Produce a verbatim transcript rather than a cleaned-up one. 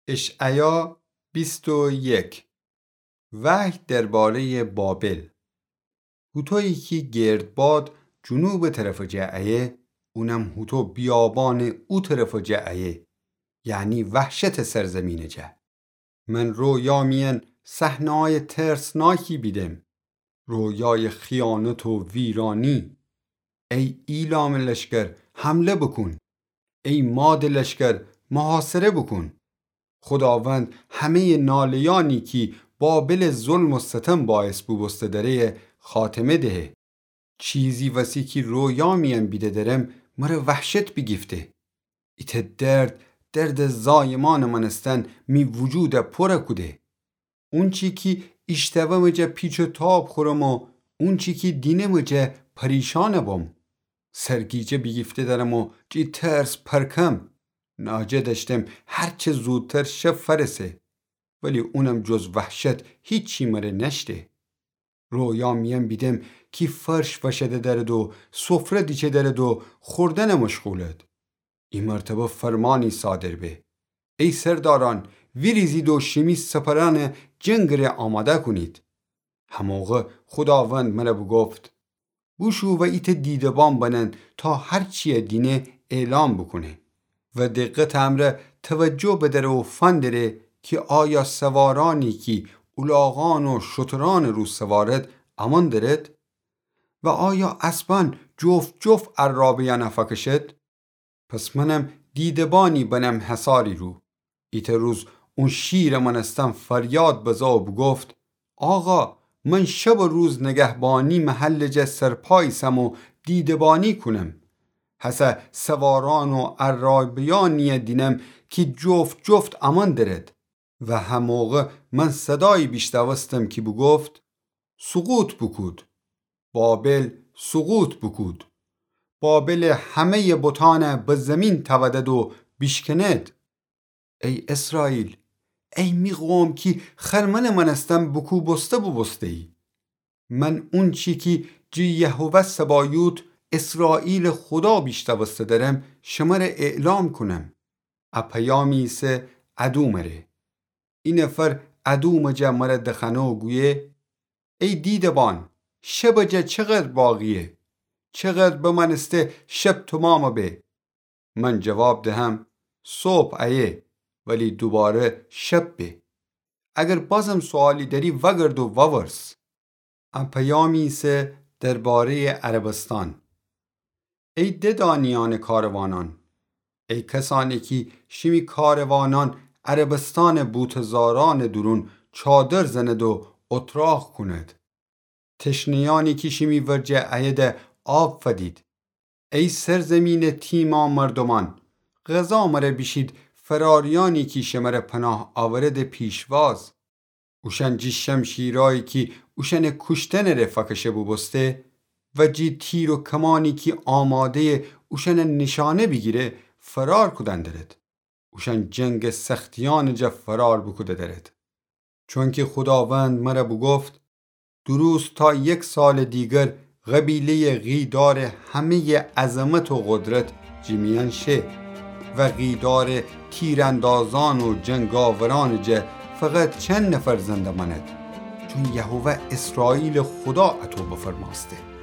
اشعیا بیست و یک. وحی درباره‌یٚ بابل. هوطویی کی گردباد جنوبٚ طرفٚ جا ایه، اونم هوطو بیابانٚ او طرفٚ جا ایه، یعنی وحشتٚ سرزمینٚ جا. من رویا میأن صحنه‌یأ ترسناکی بیدم، رویایٚ خیانت و ویرانی. ای ایلامٚ لشکر، حمله بوکون! ای مادٚ لشکر، محاصره بوکون! خوداوند همه‌یٚ ناله‌یأنی کی بابلٚ ظلم و ستم باعث بوبوسته دره‌یه خاتمه دهه. چیزی وسی کی رویا میأن بیده درم مره وحشت بیگیفته. ایتأ درد، دردٚ زایمأنٚ مأنستن می وجودَ پورَ کوده. اونچی کی ایشتومٚ جا پیچ و تاب خورم و اونچی کی دینمٚ جا پریشانَ بم. سرگیجه بیگیفته درم و جٚه ترس پرکم. ناجه دأشتم هرچه زودتر شب فأرسه، ولی اونم جز وحشت هیچی مره نأشته. رویا میأن بیدم کی فرش وشده درد و سفره دیچه درد و خوردنَ مشغولد. ای مرتبه فرمانی صادر به: ای سردارأن، ویریزید و شیمی سپرأنَ جنگٚ ره آماده کونید. هموقع خوداوند مره بوگفت: بوشو و ایتأ دیده‌بان بنن تا هرچیَ دینه اعلام بوکونه و دقتٚ امرأ توجه بدأره و فندره کی آیا سوارأنی کی الاغأن و شترأنٚ رو سوارد، امأن درد؟ و آیا اسبأن جفت جفت عرابه‌یأنَ فأکشد؟ پس منم دیده‌بانی بنم حصاری رو. ایتأ روز اون شیرٚ مأنستن فریاد بزا و بوگفت: آقا، من شب و روز نگهبانی محلٚ جا سرپا ایسم و دیده‌بانی کونم. هسه سوارأن و عرابه‌یأنیَ دینم کی جفت جفت امأن درد. و هموقع من صدایی بیشنوستم کی بوگفت: سقوط بوکود! بابل سقوط بوکود! بابلٚ همه‌یٚ بتأنَ به زیمین تأودد و بیشکند. ای اسرائیل، ای می قوم کی خرمنٚ مأنستن بوکوبوسته بوبوسته‌یی. من اونچی کی جٚه یهوه سبایوت، اسرائیلٚ خودا بیشنوسته درم، شمره اعلام کونم. ا پیامی ایسه ادومٚ ره. ای نفر ادومٚ جا مره دخأنه و گویه: ای دیده‌بان، شبٚ جا چقدر باقییه؟ چقدر بمأنسته شب تومامَ به؟ من جواب دهم: صبح ایه، ولی دوباره شب به. اگر بازم سؤالی دأری، وأگرد و وأورس. ا پیامی ایسه درباره‌یٚ عربستان. ای ددانیأنٚ کاروانأن، ای کسأنی کی شیمی کاروانأن عربستانٚ بوته‌زارأنٚ دورون چادر زند و اتراق کونید. تشنه‌یأنی کی شیمی ورجه اییدَ، آب فدید. ای سرزیمینٚ تیما مردومأن، غذا مره بیشید فراریأنی کی شمره پناه آورده پیشواز. اوشأن جٚه شمشیرأیی کی اوشأنٚ کوشتنٚ ره فأکشه بوبوسته و جٚه تیر و کمأنی کی آماده‌یه اوشأنَ نیشأنه بیگیره، فرار کودن درد. اوشأن جنگٚ سختیأنٚ جا فرار بوکوده درد. چونکی خوداوند مره بوگفت: درست تا یک سالٚ دیگر قبیله‌یٚ قیدارٚ همه‌یٚ عظمت و قدرت جٚه میأن شه و قیدارٚ تیراندازأن و جنگاورأنٚ جا فقط چند نفر زنده مأند، چون یهوه اسرائیلٚ خودا اطو بفرمأسته.